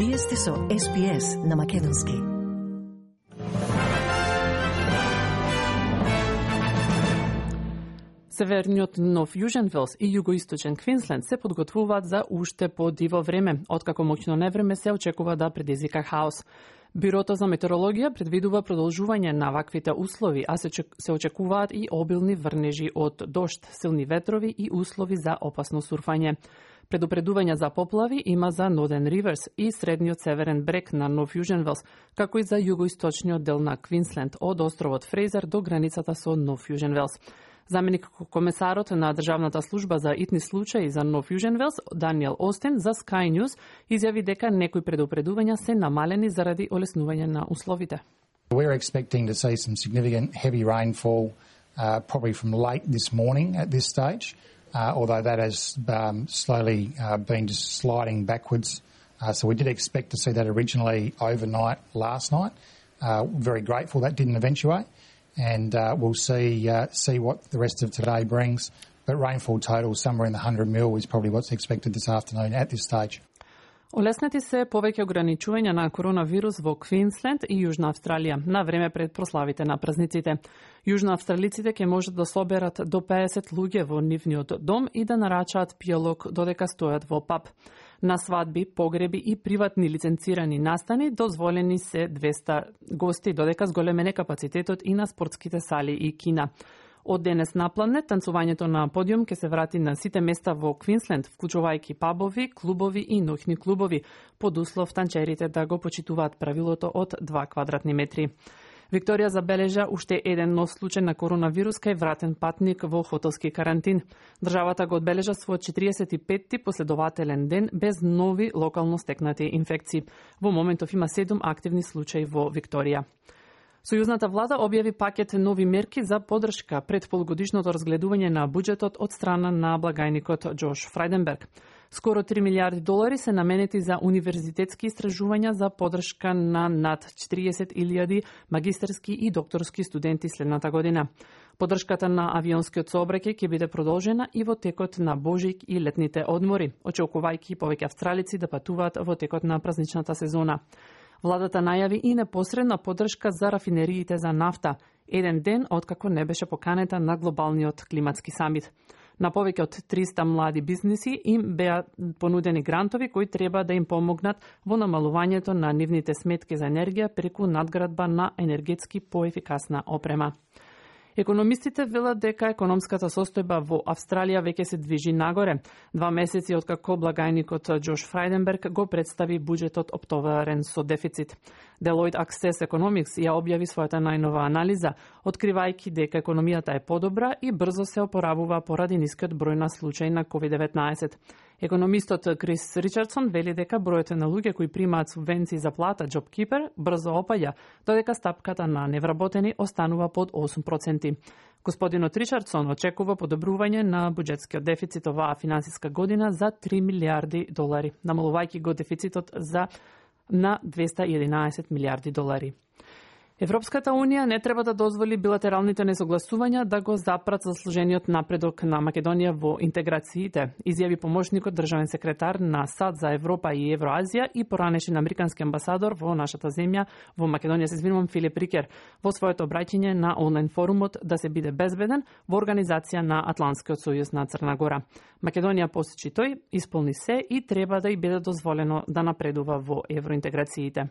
Вие сте со SPS на македонски. Северниот Нов Јужен Велс и југоисточен Квинсленд се подготвуваат за уште подиво време, откако моќно невреме се очекува да предизвика хаос. Бюрото за метеорологија предвидува продолжување на ваквите услови, а се очекуваат и обилни врнежи од дожд, силни ветрови и услови за опасно сурфање. Предупредување за поплави има за Ноден Риверс и средниот северен брег на Нов Јужен Велс, како и за југоисточниот дел на Квинсленд од островот Фрейзер до границата со Нов Јужен Велс. Заменик комесарот на Државната служба за итни случаи за Нов Јужен Велс, Даниел Остин, за Sky News изјави дека некои предупредувања се намалени заради олеснување на условите. We're expecting to see some significant heavy rainfall probably from late this morning at this stage, although that has slowly been just sliding backwards. So we did expect to see that originally overnight last night. Very grateful that didn't eventuate. And we'll see what the rest of today brings. But rainfall total somewhere in the 100 mil is probably what's expected this afternoon at this stage. Олеснети се повеќе ограничувања на коронавирус во Квинсленд и Јужна Австралија на време пред прославите на празниците. Јужноавстралиците ќе можат да соберат до 50 луѓе во нивниот дом и да нарачаат пијалок додека стојат во паб. На свадби, погреби и приватни лиценцирани настани дозволени се 200 гости, додека зголемен е капацитетот и на спортските сали и кина. Од денес напладне, танцувањето на подиум ќе се врати на сите места во Квинсленд, вклучувајќи пабови, клубови и ноќни клубови, под услов танчерите да го почитуваат правилото од 2 квадратни метри. Викторија забележа уште еден нов случај на коронавирус кај вратен патник во хотелски карантин. Државата го одбележа својот 45-ти последователен ден без нови локално стекнати инфекции. Во моментов има 7 активни случаи во Викторија. Сојузната влада објави пакет нови мерки за поддршка пред полугодишното разгледување на буџетот од страна на благајникот Џош Фрајденберг. Скоро 3 милиарди долари се наменети за универзитетски истражувања за поддршка на над 40.000 магистерски и докторски студенти следната година. Поддршката на авионскиот сообраќај ќе биде продолжена и во текот на Божик и летните одмори, очекувајќи повеќе австралици да патуваат во текот на празничната сезона. Владата најави и непосредна поддршка за рафинериите за нафта, еден ден откако не беше поканета на глобалниот климатски самит. На повеќе од 300 млади бизниси им беа понудени грантови кои треба да им помогнат во намалувањето на нивните сметки за енергија преку надградба на енергетски поефикасна опрема. Економистите велат дека економската состојба во Австралија веќе се движи нагоре. 2 месеци откако благајникот Џош Фрајденберг го представи буџетот оптоварен со дефицит. Deloitte Access Economics ја објави својата најнова анализа, откривајќи дека економијата е подобра и брзо се опоравува поради нискиот број на случаи на COVID-19. Економистот Крис Ричардсон вели дека бројот на луѓе кои примаат субвенции за плата JobKeeper брзо опаѓа, додека стапката на невработени останува под 8%. Господинот Ричардсон очекува подобрување на буџетскиот дефицит оваа финансиска година за 3 милиарди долари, намалувајќи го дефицитот на 211 милиарди долари. Европската Унија не треба да дозволи билатералните несогласувања да го запрат заслужениот напредок на Македонија во интеграциите, изјави помошникот државен секретар на САД за Европа и Евроазија и поранешен американски амбасадор во нашата земја, во Македонија, Филип Рикер, во своето обраќање на онлайн форумот да се биде безбеден во организација на Атлантскиот сојуз на Црна Гора. Македонија, посочи тој, исполни се и треба да ѝ биде дозволено да напредува во евроинтеграциите.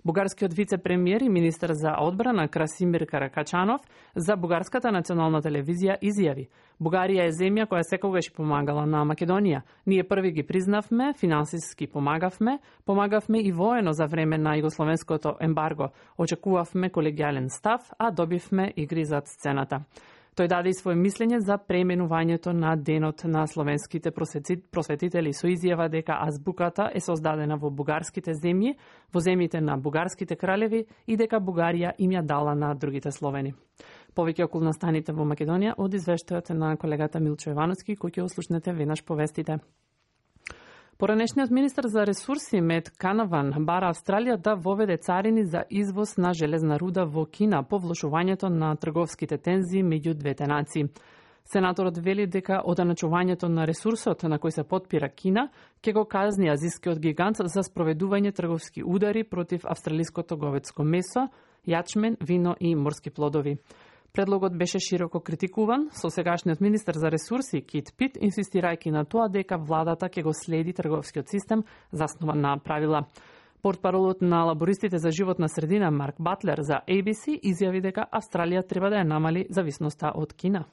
Бугарскиот вице-премиер и министер за одбрана Красимир Каракачанов за Бугарската национална телевизија изјави: Бугарија е земја која секогаш помагала на Македонија. Ние први ги признавме, финансиски помагавме и воено за време на југословенското ембарго. Очекувавме колегијален став, а добивме игри зад сцената. Тој даде и своје мислење за преименувањето на Денот на словенските просветители со изјава дека азбуката е создадена во бугарските земји, во земјите на бугарските кралеви и дека Бугарија им ја дала на другите словени. Повеќе околу настаните во Македонија од извештајот на колегата Милчо Јовановски, кој ќе услушнете веднаш по вестите. Поранешниот министер за ресурси Мет Канаван бара Австралија да воведе царини за извоз на железна руда во Кина по влошувањето на трговските тензии меѓу двете нации. Сенаторот вели дека одначувањето на ресурсот на кој се потпира Кина ќе го казни азискиот гигант за спроведување трговски удари против австралиското говедско месо, јачмен, вино и морски плодови. Предлогот беше широко критикуван, со сегашниот министер за ресурси Кит Пит инсистирајќи на тоа дека владата ќе го следи трговскиот систем заснован на правила. Портпаролот на лабористите за животна средина Марк Батлер за ABC изјави дека Австралија треба да ја намали зависноста од Кина.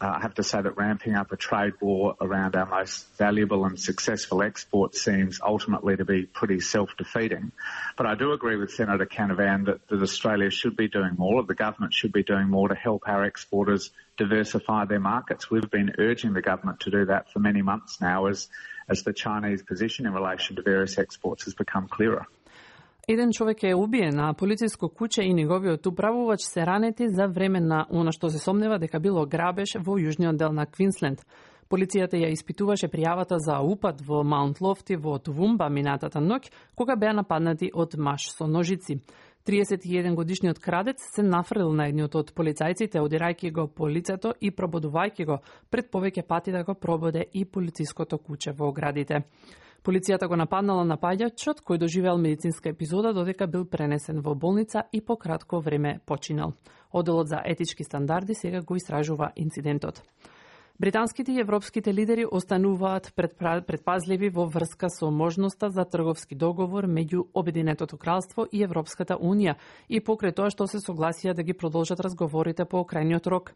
I have to say that ramping up a trade war around our most valuable and successful export seems ultimately to be pretty self-defeating. But I do agree with Senator Canavan that Australia should be doing more, the government should be doing more to help our exporters diversify their markets. We've been urging the government to do that for many months now as the Chinese position in relation to various exports has become clearer. Еден човек е убиен, а полициско куќе и неговиот управувач се ранети за време на она што се сомнева дека било грабеж во јужниот дел на Квинсленд. Полицијата ја испитуваше пријавата за упад во Маунт Лофти во Тувумба минатата ноќ, кога беа нападнати од маж со ножици. 31 годишниот крадец се нафрлил на едниот од полицајците, одирајќи го по лицето и прободувајќи го пред повеќе пати да го прободе и полициското куќе во оградите. Полицијата го нападнала напаѓачот, кој доживеал медицинска епизода додека бил пренесен во болница и по кратко време починал. Оделот за етички стандарди сега го истражува инцидентот. Британските и европските лидери остануваат предпазливи во врска со можноста за трговски договор меѓу Обединетото кралство и Европската унија и покрај тоа што се согласија да ги продолжат разговорите по крајниот рок.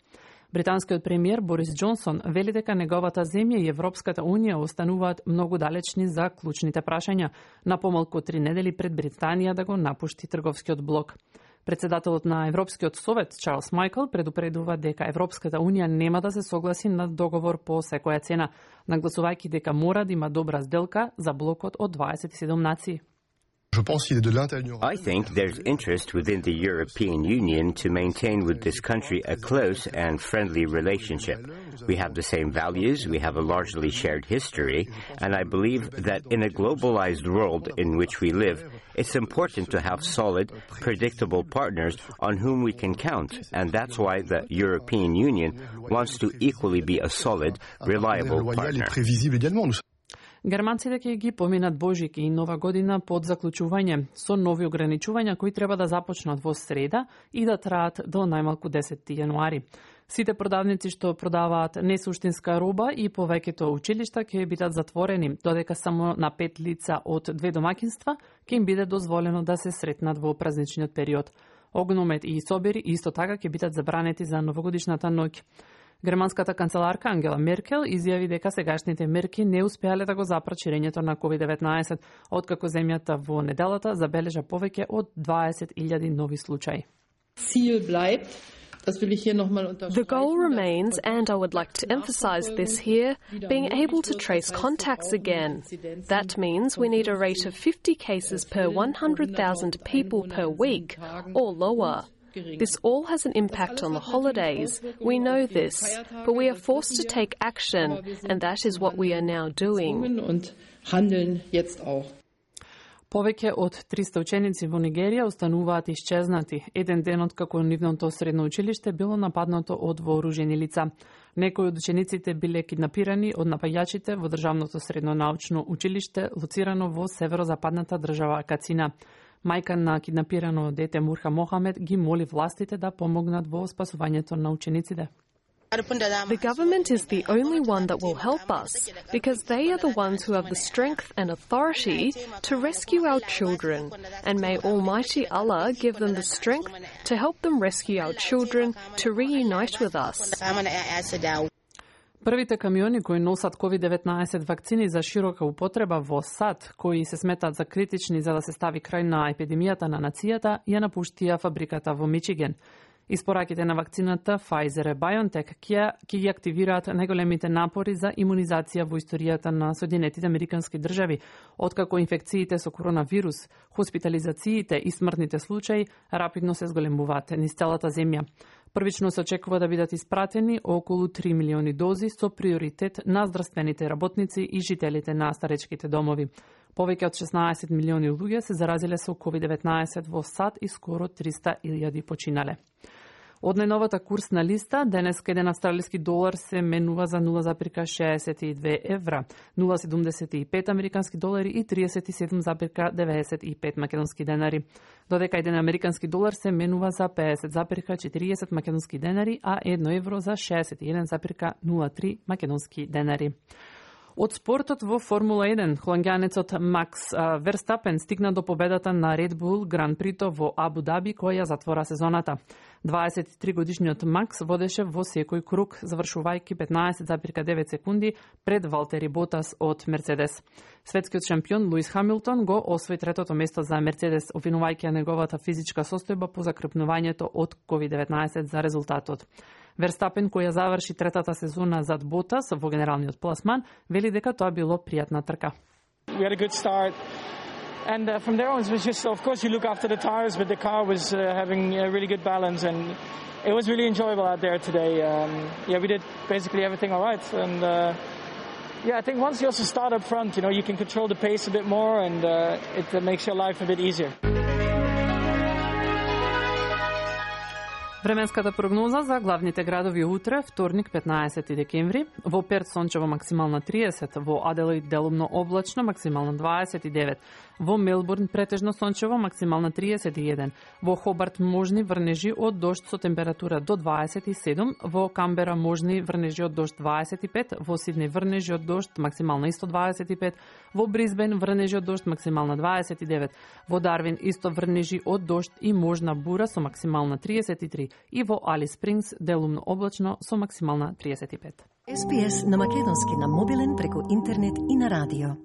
Британскиот премиер Борис Џонсон вели дека неговата земја и Европската унија остануваат многу далечни за клучните прашања, на помалку 3 недели пред Британија да го напушти трговскиот блок. Председателот на Европскиот совет Чарлс Майкл предупредува дека Европската унија нема да се согласи на договор по секоја цена, нагласувајќи дека мора да има добра сделка за блокот од 27 нации. I think there's interest within the European Union to maintain with this country a close and friendly relationship. We have the same values, we have a largely shared history, and I believe that in a globalized world in which we live, it's important to have solid, predictable partners on whom we can count, and that's why the European Union wants to equally be a solid, reliable partner. Германците ќе ги поминат Божик и Нова година под заклучување со нови ограничувања кои треба да започнат во среда и да траат до најмалку 10 јануари. Сите продавници што продаваат несуштинска роба и повеќето училишта ќе бидат затворени, додека само на 5 лица од 2 домаќинства ќе им биде дозволено да се сретнат во празничниот период. Огномет и собери исто така ќе бидат забранети за новогодишната ноќ. Германската канцеларка Ангела Меркел изјави дека сегашните мерки не успеале да го запрат ширењето на COVID-19, откако земјата во неделата забележа повеќе од 20.000 нови случаи. The goal remains, and I would like to emphasize this here, being able to trace contacts again. That means we need a rate of 50 cases per 100,000 people per week, or lower. This all has an impact on the holidays. We know this, but we are forced to take action, and that is what we are now doing. Повеќе од 300 ученици во Нигерија остануваат исчезнати, еден ден откако нивното средно училиште било нападнато од вооружени лица. Некои од учениците биле киднапирани од напаѓачите во државното средно научно училиште, лоцирано во северозападната држава Кацина. Мајка на киднапирано дете Мурха Мохамед ги моли властите да помогнат во спасувањето на учениците. The government is the only one that will help us, because they are the ones who have the strength and authority to rescue our children, and may Almighty Allah give them the strength to help them rescue our children to reunite with us. Првите камиони кои носат COVID-19 вакцини за широка употреба во САД, кои се сметат за критични за да се стави крај на епидемијата на нацијата, ја напуштија фабриката во Мичиген. Испораките на вакцината Pfizer и BioNTech ќе ги активираат најголемите напори за имунизација во историјата на Соединетите Американски држави, откако инфекциите со коронавирус, хоспитализациите и смртните случаи рапидно се зголемуваат низ целата земја. Првично се очекува да бидат испратени околу 3 милиони дози со приоритет на здравствените работници и жителите на старечките домови. Повеќе од 16 милиони луѓе се заразиле со COVID-19 во САД и скоро 300.000 починале. Од најновата курсна листа, денеска еден австралиски долар се менува за 0,62 евра, 0,75 американски долари и 37,95 македонски денари. Додека еден американски долар се менува за 50,40 македонски денари, а 1 евро за 61,03 македонски денари. Од спортот во Формула 1, холандјанецот Макс Верстапен стигна до победата на Red Bull Гран Прито во Абу Даби, која затвора сезоната. 23-годишниот Макс водеше во секој круг, завршувајќи 15,9 секунди пред Валтери Ботас од Мерцедес. Светскиот шампион Луис Хамилтон го освои третото место за Мерцедес, обвинувајќи неговата физичка состојба по закрпнувањето од COVID-19 за резултатот. Верстапен, која заврши третата сезона зад Ботас во генералниот пласман, вели дека тоа било пријатна трка. We had a good start. And from there on, it was just, of course, you look after the tires, but the car was having a really good balance, and it was really enjoyable out there today. We did basically everything all right, and I think once you also start up front, you can control the pace a bit more, and it makes your life a bit easier. Временската прогноза за главните градови утре, вторник 15 декември, во Перт сончево максимална 30, во Аделаид делумно облачно максимална 29, во Мелбурн претежно сончево максимална 31, во Хобарт можни врнежи од дожд со температура до 27, во Камбера можни врнежи од дожд 25, во Сиднеј врнежи од дожд максимална исто 25, во Брисбен врнежи од дожд максимална 29, во Дарвин исто врнежи од дожд и можна бура со максимална 33 и во Алис Спрингс делумно облачно со максимална 35. SPS на македонски на мобилен преку интернет и на радио.